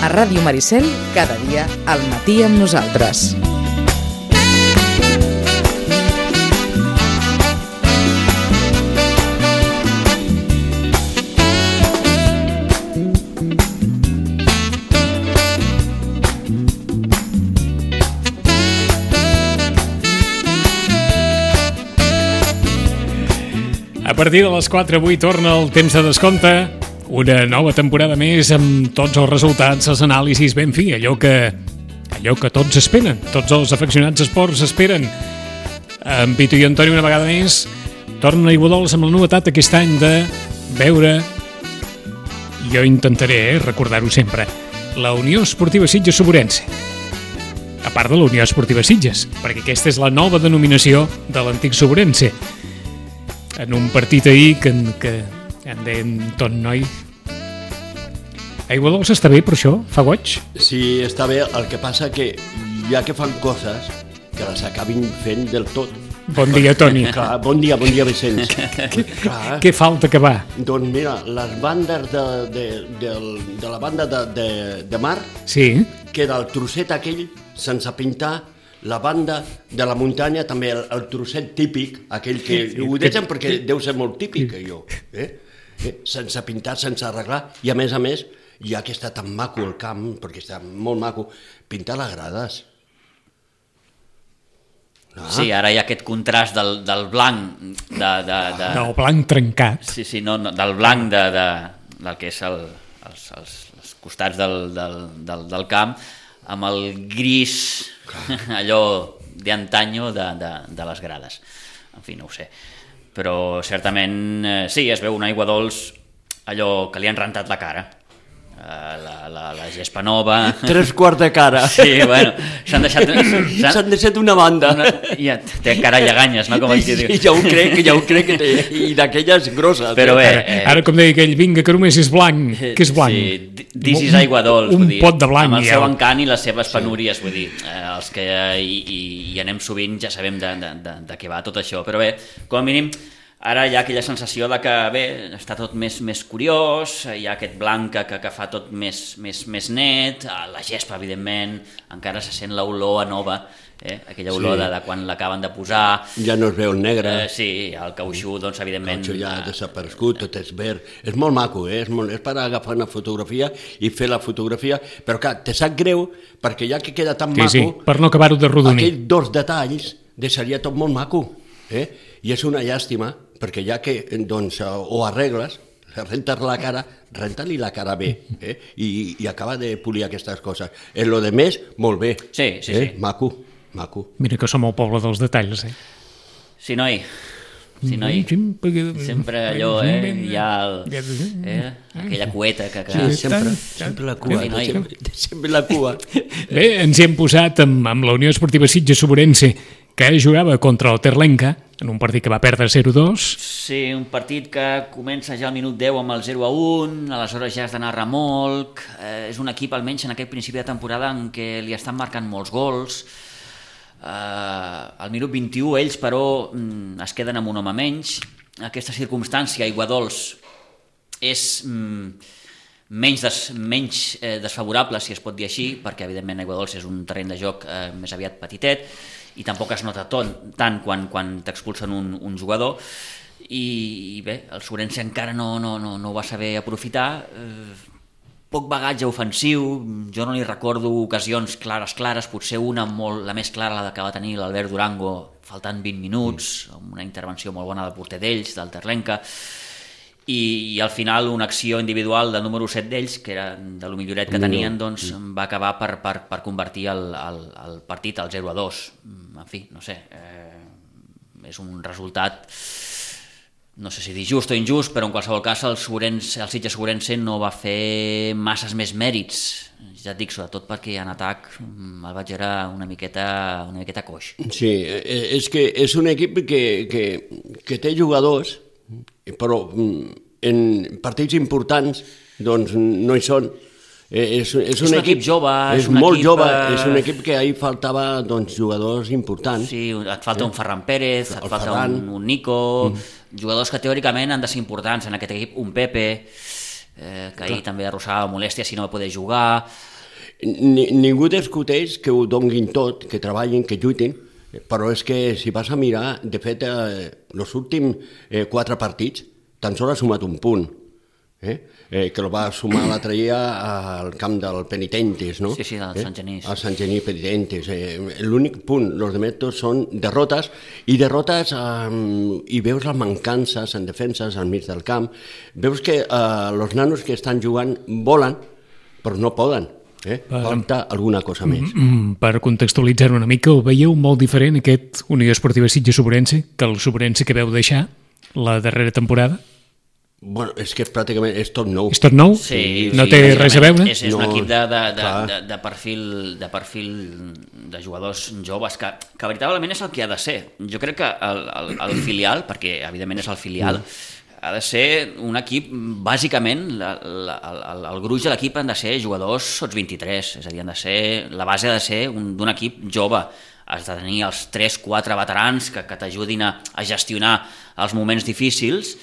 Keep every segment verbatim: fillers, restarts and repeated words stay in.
A Ràdio Maricel, cada dia, al matí amb nosaltres. A partir de les quatre avui torna el temps de descompte, una nova temporada més amb tots els resultats, els anàlisis, ben fi, allò que, allò que tots esperen, tots els afeccionats esports esperen. En Pitu i Antoni una vegada més tornen a Aiguadols amb la novetat aquest any de veure, jo intentaré eh, recordar-ho sempre, la Unió Esportiva Sitges Soborense. A part de la Unió Esportiva Sitges, perquè aquesta és la nova denominació de l'antic Soborense. En un partit ahir que, que en deien tot noi. Aiguadols està bé per això? Fa goig? Sí, està bé, el que passa que ja que fan coses que les acabin fent del tot. Bon dia, Toni. Clar, bon dia, bon dia, Vicenç. Clar. Què falta que va? Doncs mira, les bandes de, de, de, de la banda de, de, de mar, sí. Queda el trosset aquell sense pintar. La banda de la muntanya, també el, el trosset típic, aquell que sí, ho deixen que, perquè deu ser molt típic, allò, eh? eh? sense pintar, sense arreglar, i a més a més, ja que està tan maco el camp, perquè està molt maco, pintar les grades. Ah. Sí, ara hi ha aquest contrast del, del blanc... De, de, de... Del blanc trencat. Sí, sí, no, no, del blanc de, de, del que és el, els, els, els costats del, del, del, del camp, amb el gris, allò d'antanyo de, de, de les grades. En fi, no ho sé. Però certament, eh, sí, es veu un Aiguadols allò que li han rentat la cara. La, la, la gespa nova... Tres quarts de cara. Sí, bueno, s'han deixat... S'han deixat una banda. Una, ja, té cara lleganyes, no? Com I, I ja ho crec, ja ho crec, que té, i d'aquelles grosses. Però bé... Eh, ara, com deia aquell, vinga, que només és blanc. Què és blanc? Sí, this is Aiguadols, un vull dir, pot de blanc. Amb el ja. seu encant i les seves penúries, vull dir, eh, els que hi, hi, hi anem sovint ja sabem de, de, de, de què va tot això, però bé, com a mínim... Ara hi ha aquella sensació de que, bé, està tot més, més curiós, hi ha aquest blanc que, que fa tot més, més, més net, la gespa, evidentment, encara se sent l'olor a nova, eh? Aquella olor sí. de, de quan l'acaben de posar. Ja no es veu el negre. Eh, sí, el cautxú, doncs, evidentment... El cautxú ja ha desaparegut, tot és verd. És molt maco, eh? és, molt, és per agafar una fotografia i fer la fotografia, però clar, te sap greu, perquè ja que queda tan sí, maco... Sí, per no acabar-ho de rodonir. Aquells dos detalls deixaria tot molt maco, eh? I és una llàstima, perquè ja que doncs, o arregles, rentes la cara, renta-li la cara bé, eh? I, i acaba de polir aquestes coses. En lo de més, molt bé. Sí, sí, eh? sí. Maco, maco. Mira que som el poble dels detalls, eh? Sí, noi. Sí, noi. Sempre allò, eh? Hi ha el, eh? aquella cueta que... que... Sí, sempre, sempre la cua. Sí, sempre, sempre la cua. Bé, ens hi hem posat amb, amb la Unió Esportiva Sitges Soborense, que jugava contra el Terlenca, en un partit que va perdre zero a dos. Sí, un partit que comença ja al minut deu amb el zero a un, aleshores ja has d'anar a remolc, eh, és un equip almenys en aquest principi de temporada en què li estan marcant molts gols, eh, al minut vint-i-u ells però es queden amb un home menys, aquesta circumstància Aiguadols és mm, menys, des, menys eh, desfavorable, si es pot dir així, perquè evidentment Aiguadols és un terreny de joc eh, més aviat petitet, i tampoc es nota ton, tant quan, quan t'expulsen un, un jugador i, i bé, el Soborense encara no, no, no, no ho va saber aprofitar, eh, poc bagatge ofensiu, jo no li recordo ocasions clares, clares, potser una molt, la més clara, la que va tenir l'Albert Durango faltant vint minuts, amb una intervenció molt bona del porter d'ells, del Terlenca, i, i al final una acció individual del número set d'ells, que era de lo milloret que tenien, doncs va acabar per, per, per convertir el, el, el partit al zero a dos. En fi, no sé, eh, és un resultat, no sé si dir just o injust, però en qualsevol cas el, Soborense, el Sitges Soborense no va fer masses més mèrits, ja et dic, sobretot perquè en atac el vaig veure una miqueta, una miqueta coix. Sí, és que és un equip que, que, que té jugadors, però en partits importants doncs no hi són. És, és, un, és un equip, equip jove, és, és un molt equip, jove, és un equip que ahir faltava doncs, jugadors importants. Sí, et falta eh? un Ferran Pérez, et el falta Ferran. un, un Nico, mm. jugadors que teòricament han de ser importants en aquest equip, un Pepe, eh, que ahir Clar. també arrossava molèstia si no va poder jugar. ni, ningú discuteix que ho donguin tot, que treballin, que lluitin, però és que si vas a mirar, de fet, eh, els últims eh, quatre partits tan sols ha sumat un punt, eh? Eh, que el va sumar l'altre dia al camp del Penitentes, no? Sí, sí, del eh? Sant Genís. Al Sant Genís Penitentes. Eh, L'únic punt, els demés tots són derrotes, i derrotes, eh, i veus les mancances en defenses al mig del camp, veus que els eh, nanos que estan jugant volen, però no poden. Eh? Falta alguna cosa més. Mm, per contextualitzar una mica, el veieu molt diferent aquest Unió Esportiva Sitges-Sobrense que el Sobrense que veu deixar la darrera temporada? Bueno, és que pràcticament és tot nou. És tot nou? Sí, no sí, té res a veure? És, és no, un equip de, de, de, clar. de, de, perfil, de perfil de jugadors joves que, que veritablement és el que ha de ser. Jo crec que el, el, el filial, perquè evidentment és el filial, mm. ha de ser un equip, bàsicament, la, la, el, el gruix de l'equip han de ser jugadors sots vint-i-tres, és a dir, han de ser, la base ha de ser d'un equip jove. Has de tenir els tres quatre veterans que, que t'ajudin a, a gestionar els moments difícils,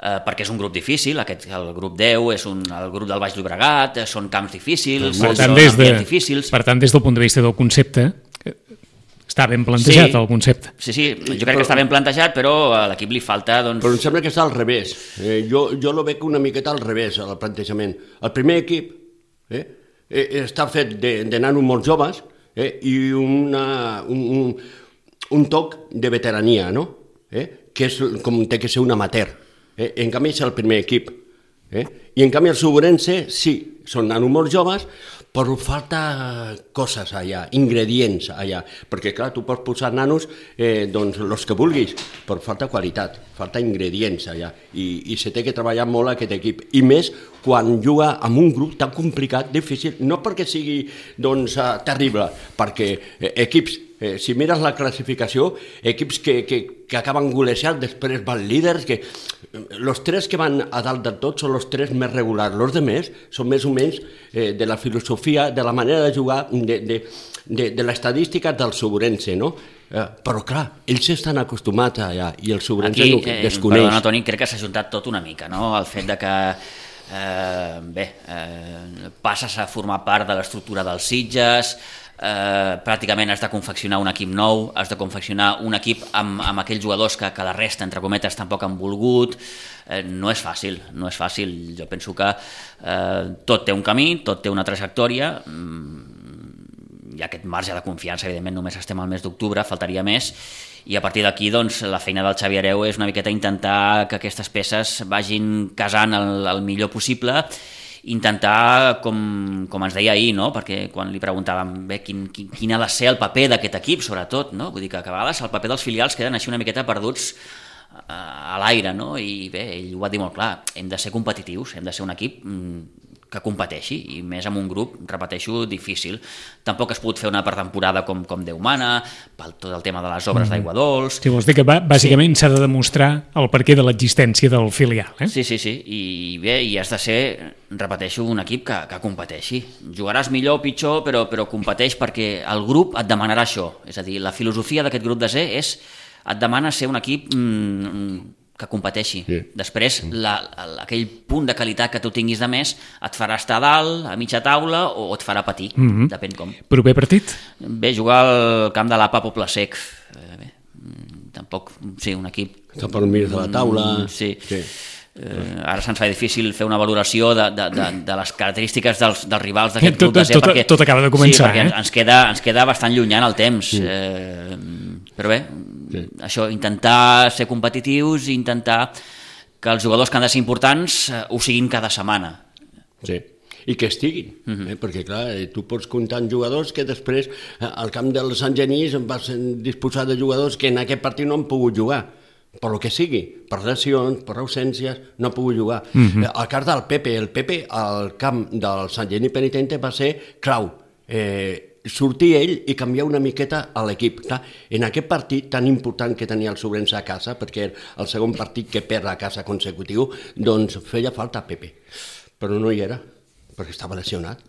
eh, perquè és un grup difícil, aquest, el grup deu és un, el grup del Baix Llobregat, són camps difícils, Per tant, són des de, ambients difícils. per tant, des del punt de vista del concepte, està ben plantejat Sí. el concepte. Sí, sí, jo crec que està ben plantejat, però a l'equip li falta... Doncs... Però em sembla que està al revés. Eh, jo, jo lo veig una miqueta al revés, el plantejament. El primer equip eh, eh, està fet de, de nanos molt joves eh, i una, un, un, un toc de veterania, no? Eh, que és com té que ser un amateur. Eh? En canvi és el primer equip. Eh? I en canvi el Sobrense, sí, són nanos molt joves, però falta coses allà, ingredients allà, perquè clar, tu pots posar nanos eh, doncs els que vulguis, però falta qualitat, falta ingredients allà, i, i se té que treballar molt aquest equip, i més quan juga amb un grup tan complicat, difícil, no perquè sigui doncs, uh, terrible, perquè eh, equips, eh, si mires la classificació, equips que, que, que acaben golejant, després van líders, que els tres que van a dalt de tot són els tres més regulars, els altres són més o menys eh, de la filosofia, de la manera de jugar, de, de, de, de l'estadística del Sobrense, no? Eh, però clar, ells estan acostumats allà i el Sobrense Aquí, no eh, desconeix. perdona, Toni, crec que s'ha juntat tot una mica, no? El fet de que eh, bé, eh, passes a formar part de l'estructura dels Sitges, eh, pràcticament has de confeccionar un equip nou, has de confeccionar un equip amb, amb aquells jugadors que, que la resta, entre cometes, tampoc han volgut. Eh, no és fàcil, no és fàcil. Jo penso que eh, tot té un camí, tot té una trajectòria, mm, i aquest marge de confiança, evidentment, només estem al mes d'octubre, faltaria més, i a partir d'aquí doncs, la feina del Xavi Hereu és una miqueta intentar que aquestes peces vagin casant el, el millor possible, intentar, com, com ens deia ahir, no? Perquè quan li preguntàvem bé, quin, quin, quin ha de ser el paper d'aquest equip, sobretot, no? Vull dir que a vegades el paper dels filials queden així una miqueta perduts a l'aire, no? I bé, ell ho va dir molt clar, hem de ser competitius, hem de ser un equip que competeixi, i més amb un grup, repeteixo, difícil. Tampoc has pogut fer una pretemporada com, com Déu mana, pel tot el tema de les obres mm. d'aigua dolç... Sí, vols dir que bàsicament s'ha sí. de demostrar el perquè de l'existència del filial, eh? Sí, sí, sí, i bé, i has de ser, repeteixo, un equip que, que competeixi. Jugaràs millor o pitjor, però, però competeix perquè el grup et demanarà això. És a dir, la filosofia d'aquest grup de Z és, et demana ser un equip mm, que competeixi. Sí. Després, la, aquell punt de qualitat que tu tinguis de més et farà estar a dalt, a mitja taula, o et farà patir, mm-hmm. depèn com. Proper partit? Bé, jugar al camp de l'A P A Poble Sec. Eh, bé, tampoc, sí, un equip... Està per mig de la taula... Sí. sí. Eh, ara se'ns fa difícil fer una valoració de, de, de, de les característiques dels, dels rivals d'aquest tot, grup de Z, tot, perquè, tot acaba de començar, sí, perquè eh? ens, queda, ens queda bastant llunyà en el temps. Sí. Eh, però bé, sí. Això, intentar ser competitius i intentar que els jugadors que han de ser importants eh, ho siguin cada setmana. Sí, i que estiguin, uh-huh. eh? perquè clar, tu pots comptar en jugadors que després eh, al camp del Sant Genís vas disposar de jugadors que en aquest partit no han pogut jugar, per lo que sigui, per lesions, per ausències, no ha pogut jugar. Uh-huh. El cas del Pepe, el Pepe al camp del Sant Genís Penitente va ser clau, eh, sortir ell i canviar una miqueta a l'equip. Clar, en aquest partit tan important que tenia el Sobrense a casa, perquè era el segon partit que perd a casa consecutiu, doncs feia falta Pepe, però no hi era, perquè estava lesionat.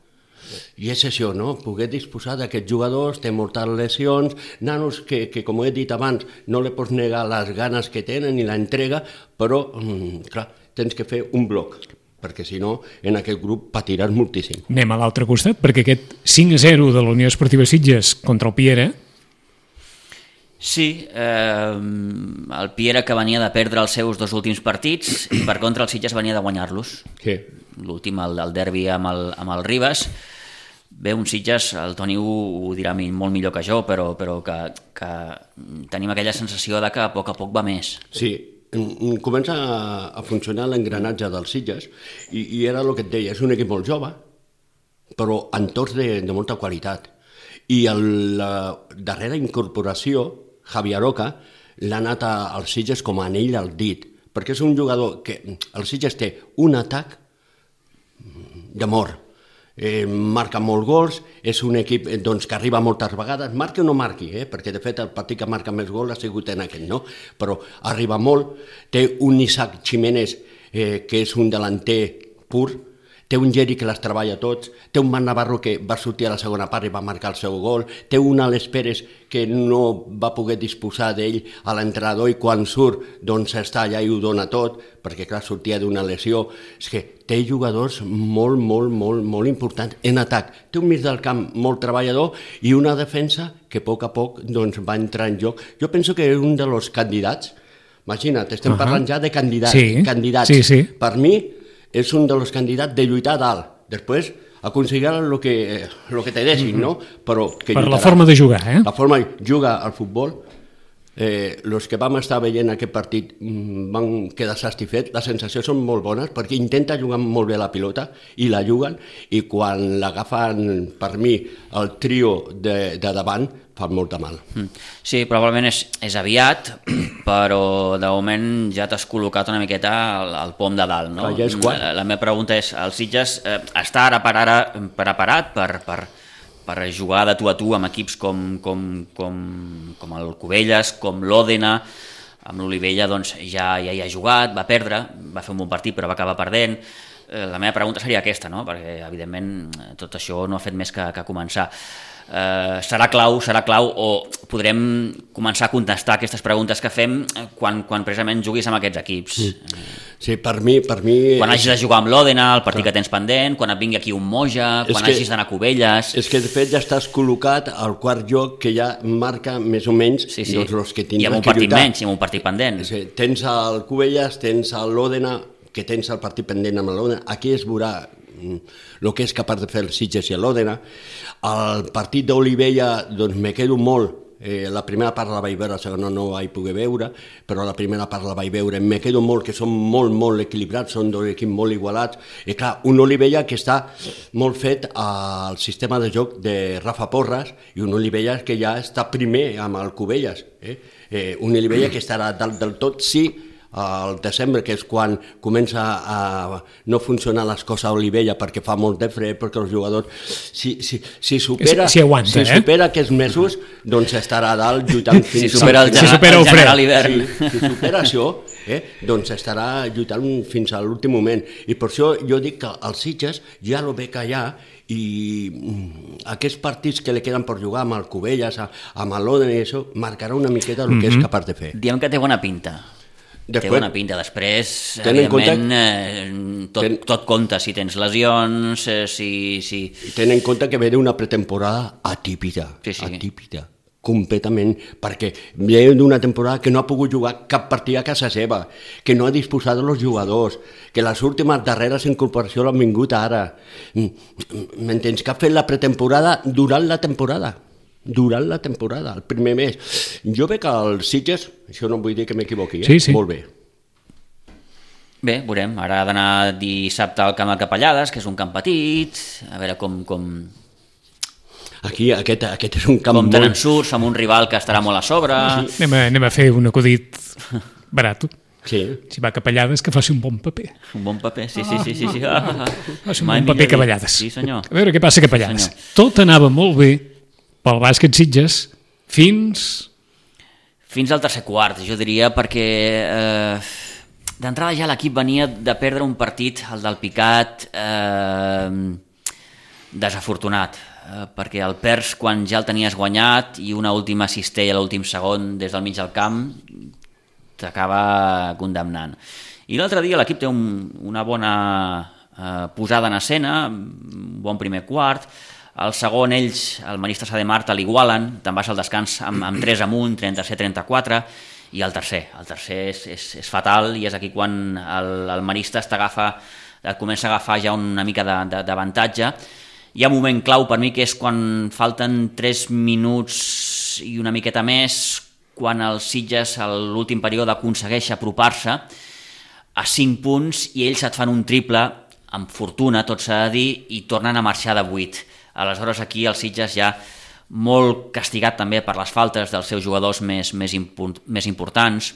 I és això, no? Poder disposar d'aquests jugadors, té moltes lesions, nanos que, que, com he dit abans, no li pots negar les ganes que tenen i l'entrega, però, mm, clar, tens que fer un bloc. perquè si no, en aquest grup patiràs moltíssim. Anem a l'altre costat, perquè aquest cinc a zero de la Unió Esportiva Sitges contra el Piera... Sí, eh, el Piera que venia de perdre els seus dos últims partits i per contra el Sitges venia de guanyar-los. Sí. L'últim, el, el derbi amb el, amb el Ribes. Bé, un Sitges, el Toni ho, ho dirà molt millor que jo, però, però que, que tenim aquella sensació de que a poc a poc va més. Sí, comença a funcionar l'engranatge dels Sitges i, i era el que et deia, és un equip molt jove, però amb tots de, de molta qualitat. I el, la darrera incorporació, Javier Roca, l'ha anat als Sitges com a anell al dit, perquè és un jugador que el Sitges té un atac d'amor. Eh, marca molts gols, és un equip doncs, que arriba moltes vegades, marqui o no marqui, eh? Perquè de fet el partit que marca més gols ha sigut en aquest, no? Però arriba molt, té un Isaac Jiménez eh, que és un delanter pur, té un Geri que les treballa tots, té un Marc Navarro que va sortir a la segona part i va marcar el seu gol, té un Alex Pérez que no va poder disposar d'ell a l'entrenador i quan surt doncs està allà i ho dona tot, perquè clar, sortia d'una lesió. És que té jugadors molt, molt, molt, molt importants en atac. Té un mig del camp molt treballador i una defensa que a poc a poc doncs, va entrar en joc. Jo penso que és un dels candidats, imagina't, estem uh -huh. parlant ja de candidats. Sí, candidats. sí, sí. Per mi, és un dels candidats de lluitar a dalt. Després, aconseguir el que, el que te deixin, no? Però que per lluitarà. la forma de jugar, eh? La forma de jugar al futbol. Eh, els que vam estar veient aquest partit van quedar satisfets. Les sensacions són molt bones perquè intenta jugar molt bé la pilota i la juguen, i quan l'agafen, per mi, el trio de, de davant, fa molt de mal. Sí, probablement és, és aviat, però de moment ja t'has col·locat una miqueta al, al pom de dalt, no? Clar, ja és quart. La, la meva pregunta és, el Sitges eh, està ara per ara preparat per, per, per jugar de tu a tu amb equips com, com, com, com el Cubelles, com l'Òdena, amb l'Olivella doncs ja, ja hi ha jugat, va perdre, va fer un bon partit però va acabar perdent. La meva pregunta seria aquesta, no? Perquè evidentment tot això no ha fet més que, que començar. Uh, serà clau, serà clau o podrem començar a contestar aquestes preguntes que fem quan, quan precisament juguis amb aquests equips. Sí, sí per mi... Per mi quan hagis de jugar amb l'Òdena, el partit clar. que tens pendent, quan et vingui aquí un Moja, quan que, hagis d'anar a Cubelles... És que de fet ja estàs col·locat al quart lloc que ja marca més o menys sí, sí. doncs, els que tindran I amb un partit menys, i amb un partit pendent. Sí, tens el Cubelles, tens l'Òdena, que tens el partit pendent amb l'Òdena, aquí es veurà el que és capaç de fer el Sitges i l'Òdena. El partit d'Olivella, doncs me quedo molt, eh, la primera part la vaig veure, la segona no vaig poder veure, però la primera part la vaig veure, me quedo molt, que són molt, molt equilibrats, són dos equips molt igualats, i clar, un Olivella que està molt fet al sistema de joc de Rafa Porras, i un Olivella que ja està primer amb el Cubelles, eh? Eh, un Olivella que estarà dalt del tot, sí, al desembre, que és quan comença a no funcionar les coses a Olivella perquè fa molt de fred, perquè els jugadors si, si, si supera, si, si aguanta, si eh? supera aquests mesos doncs estarà a dalt lluitant fins si supera el, al si supera el general hivern si, si supera això eh, doncs estarà lluitant fins a l'últim moment, i per això jo dic que els Sitges ja el ve callar i aquests partits que li queden per jugar amb el Cubelles, amb l'Òdena i això, marcarà una miqueta el mm-hmm. que és capaç de fer. Diem que té bona pinta. Després, té bona pinta. Després, evidentment, eh, tot, ten, tot compta, si tens lesions, eh, si... si... Ten en compte que ve d'una pretemporada atípica, sí, sí. atípica, completament, perquè ve d'una temporada que no ha pogut jugar cap partit a casa seva, que no ha disposat dels jugadors, que les últimes darreres incorporacions l'han vingut ara. M'entens? Que ha fet la pretemporada durant la temporada. durant la temporada, el primer mes. Jo veig que els Sitges, això no vull dir que m'equivoqui, eh? sí, sí. molt bé. Bé, veurem. Ara ha d'anar dissabte al camp de Capellades, que és un camp petit, a veure com... com... Aquí, aquest, aquest és un camp com molt... tenen surts amb un rival que estarà molt a sobre... Sí. Anem, a, anem a fer un acudit barat. Sí. Si va a Capellades, que faci un bon paper. Un bon paper, sí, sí, sí. sí, sí. Ah, faci un bon paper a Capellades. Sí, senyor. A veure què passa a Capellades. Sí, tot anava molt bé pel bàsquet Sitges fins... Fins al tercer quart, jo diria, perquè eh, d'entrada ja l'equip venia de perdre un partit, el del Picat, eh, desafortunat, eh, perquè el perds quan ja el tenies guanyat i una última cistella a l'últim segon des del mig del camp t'acaba condemnant. I l'altre dia l'equip té un, una bona eh, posada en escena, un bon primer quart. El segon, ells, el Marista Sa de Marta, l'igualen, te'n vas al descans amb, amb tres amunt, trenta-set trenta-quatre, i el tercer, el tercer és, és, és fatal, i és aquí quan el, el Marista t'agafa, et comença a agafar ja una mica d'avantatge. Hi ha un moment clau per mi, que és quan falten tres minuts i una miqueta més, quan els Sitges a l'últim període aconsegueix apropar-se a cinc punts i ells et fan un triple amb fortuna, tot s'ha de dir, i tornen a marxar de vuit. Aleshores aquí els Sitges ja molt castigat també per les faltes dels seus jugadors més, més, import, més importants.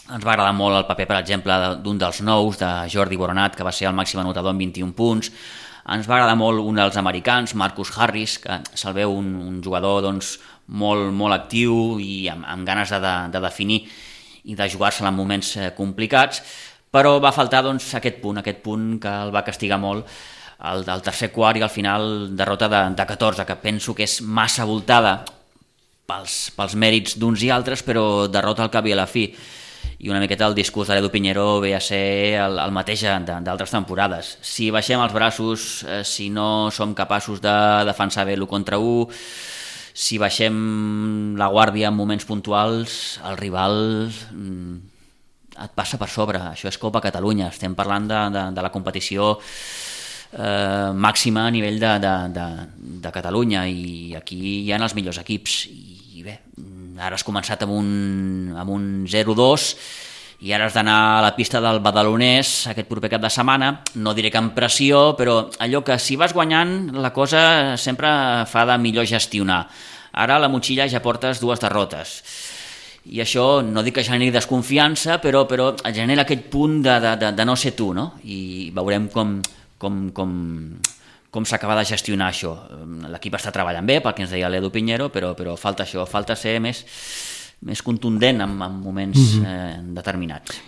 Ens va agradar molt el paper, per exemple, d'un dels nous, de Jordi Boronat, que va ser el màxim anotador amb vint-i-un punts. Ens va agradar molt un dels americans, Marcus Harris, que se'l veu un, un jugador doncs, molt, molt actiu i amb, amb ganes de, de definir i de jugar-se en moments complicats, però va faltar doncs, aquest punt, aquest punt que el va castigar molt el, el tercer quart, i al final derrota de, de catorze, que penso que és massa voltada pels, pels mèrits d'uns i altres, però derrota al cap i a la fi. I una miqueta el discurs de l'Edu Piñero ve a ser el, el mateix d'altres temporades. Si baixem els braços, eh, si no som capaços de defensar bé l'u contra u, si baixem la guàrdia en moments puntuals, el rival mm, et passa per sobre. Això és Copa Catalunya, estem parlant de, de, de la competició eh, màxima a nivell de, de, de, de Catalunya, i aquí hi ha els millors equips. I bé, ara has començat amb un, amb un zero dos i ara has d'anar a la pista del Badalonès aquest proper cap de setmana. No diré que amb pressió, però allò que si vas guanyant la cosa sempre fa de millor gestionar. Ara a la motxilla ja portes dues derrotes i això no dic que generi desconfiança, però, però genera aquest punt de, de, de, de no ser tu, no? I veurem com, com, com, com s'acaba de gestionar això. L'equip està treballant bé, pel que ens deia l'Edu Piñero, però, però falta això, falta ser més, més contundent en, en moments mm-hmm. eh, determinats.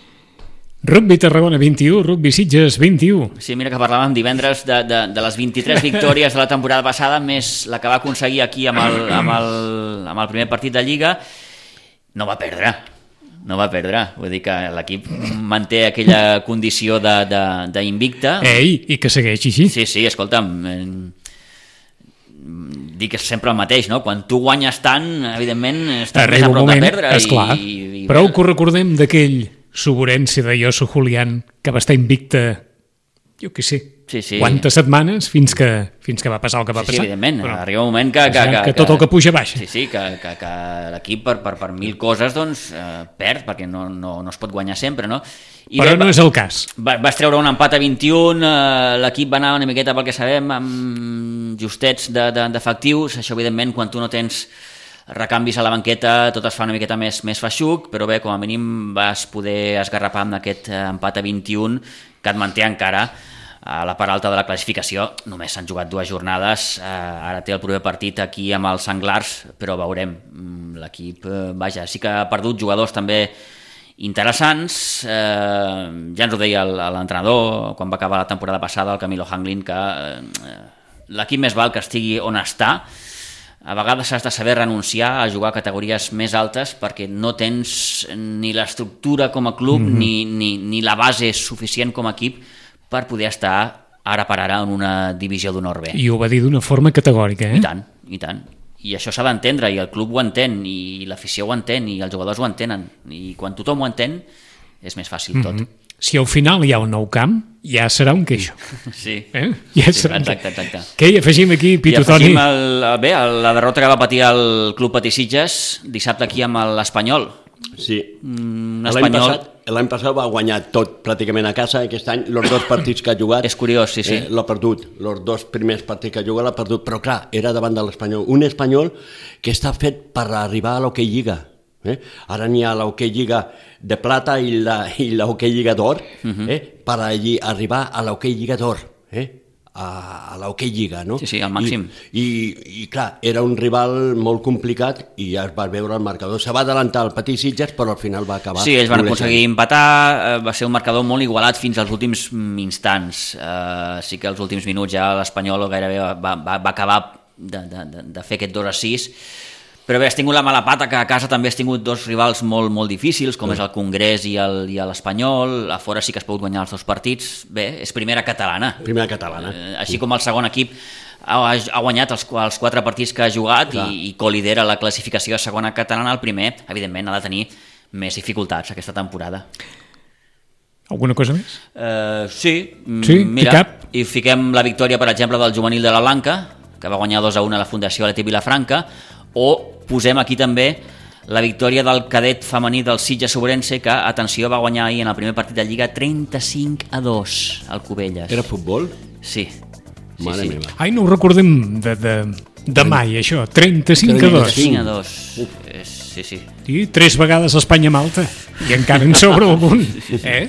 Rugby Tarragona vint-i-u, Rugby Sitges vint-i-u. Sí, mira que parlàvem divendres de, de, de les vint-i-tres victòries de la temporada passada, més la que va aconseguir aquí amb el, amb el, amb el primer partit de Lliga. No va perdre, no va perdre. Vull dir que l'equip manté aquella condició d'invicta. Ei, i que segueix així. Sí, sí, escolta'm, eh, dic sempre el mateix, no? Quan tu guanyes tant, evidentment, estàs més a prop de perdre. Esclar, i, i, prou que ho recordem d'aquell Suburense de Josu Julián, que va estar invicte, jo què sé, sí, sí. quantes setmanes fins que, fins que va passar el que va sí, passar. Sí, evidentment, però arriba un moment que... Que, que, que tot el que puja baixa. Sí, sí, que, que, que l'equip per, per, per mil coses doncs, eh, perd, perquè no, no, no es pot guanyar sempre, no? I però bé, no és el cas. Va, vas treure un empat a vint-i-un, eh, l'equip va anar una miqueta pel que sabem, amb justets d'efectius, de, de, això evidentment quan tu no tens recanvis a la banqueta tot es fa una miqueta més, més feixuc, però bé, com a mínim vas poder esgarrapar amb aquest empat a vint-i-un que et manté encara a la part alta de la classificació. Només s'han jugat dues jornades, eh, ara té el proper partit aquí amb els Senglars, però veurem, l'equip, eh, vaja, sí que ha perdut jugadors també interessants, eh, ja ens ho deia l'entrenador quan va acabar la temporada passada, el Camilo Hanglin, que eh, l'equip més val que estigui on està. A vegades has de saber renunciar a jugar a categories més altes perquè no tens ni l'estructura com a club mm-hmm. ni, ni, ni la base suficient com a equip per poder estar ara per ara en una divisió d'honor B. I ho va dir d'una forma categòrica, eh? I tant, i tant. I això s'ha d'entendre, i el club ho entén, i l'afició ho entén, i els jugadors ho entenen. I quan tothom ho entén, és més fàcil mm-hmm. tot. Si al final hi ha un nou camp, ja serà un queixo. Sí, eh? ja sí serà exacte, exacte. Què hi afegim aquí, Pitu Toni? I afegim el, bé, la derrota que va patir el Club Patí Sitges dissabte aquí amb l'Espanyol. Sí. Mm, l'any passat, l'any passat va guanyar tot pràcticament a casa, aquest any els dos partits que ha jugat és curiós, sí, sí. Eh, l'ha perdut, els dos primers partits que ha jugat l'ha perdut, però clar, era davant de l'Espanyol, un Espanyol que està fet per arribar a l'Hockey Lliga. Eh? Ara n'hi ha l'Hockey Lliga de plata i la, i l'Hockey Lliga d'or, uh-huh. eh? per allí arribar a l'Hockey Lliga d'or, eh? a, a l'Hockey Lliga, no? Sí, sí, al màxim. I, i, i clar, era un rival molt complicat i ja es va veure el marcador. Se va adelantar el Patí Sitges, però al final va acabar... Sí, ells van aconseguir empatar, va ser un marcador molt igualat fins als últims instants. Uh, sí que als últims minuts ja l'Espanyol gairebé va, va, va acabar de, de, de fer aquest dos a sis, Però bé, has tingut la mala pata que a casa també has tingut dos rivals molt, molt difícils, com sí. és el Congrés i l'Espanyol. A fora sí que has pogut guanyar els dos partits. Bé, és primera catalana. Primera catalana. Eh, així com el segon equip ha, ha guanyat els, els quatre partits que ha jugat i, i colidera la classificació de segona catalana, el primer, evidentment, ha de tenir més dificultats aquesta temporada. Alguna cosa més? Uh, sí, sí, mira, i fiquem la victòria, per exemple, del juvenil de la Blanca, que va guanyar dos a un a la Fundació Atlètic Vilafranca, o posem aquí també la victòria del cadet femení del Sitges Sobrense, que, atenció, va guanyar ahir en el primer partit de Lliga trenta-cinc a dos al Cubelles. Era futbol? Sí. sí Mare sí. meva. Ai, no ho recordem de, de, de mai, això. trenta-cinc a dos. trenta-cinc a dos. Sí, sí. I tres vegades Espanya-Malta. I encara en sobra algun. Eh?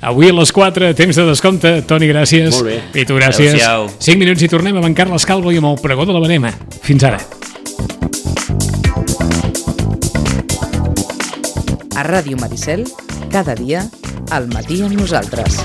Avui a les quatre, temps de descompte. Toni, gràcies. Molt bé. I tu, gràcies. Adéu-siau. cinc minuts i tornem amb en Carles Calvo i amb el pregó de la Verema. Fins ara. A Ràdio Maricel, cada dia, al matí amb nosaltres.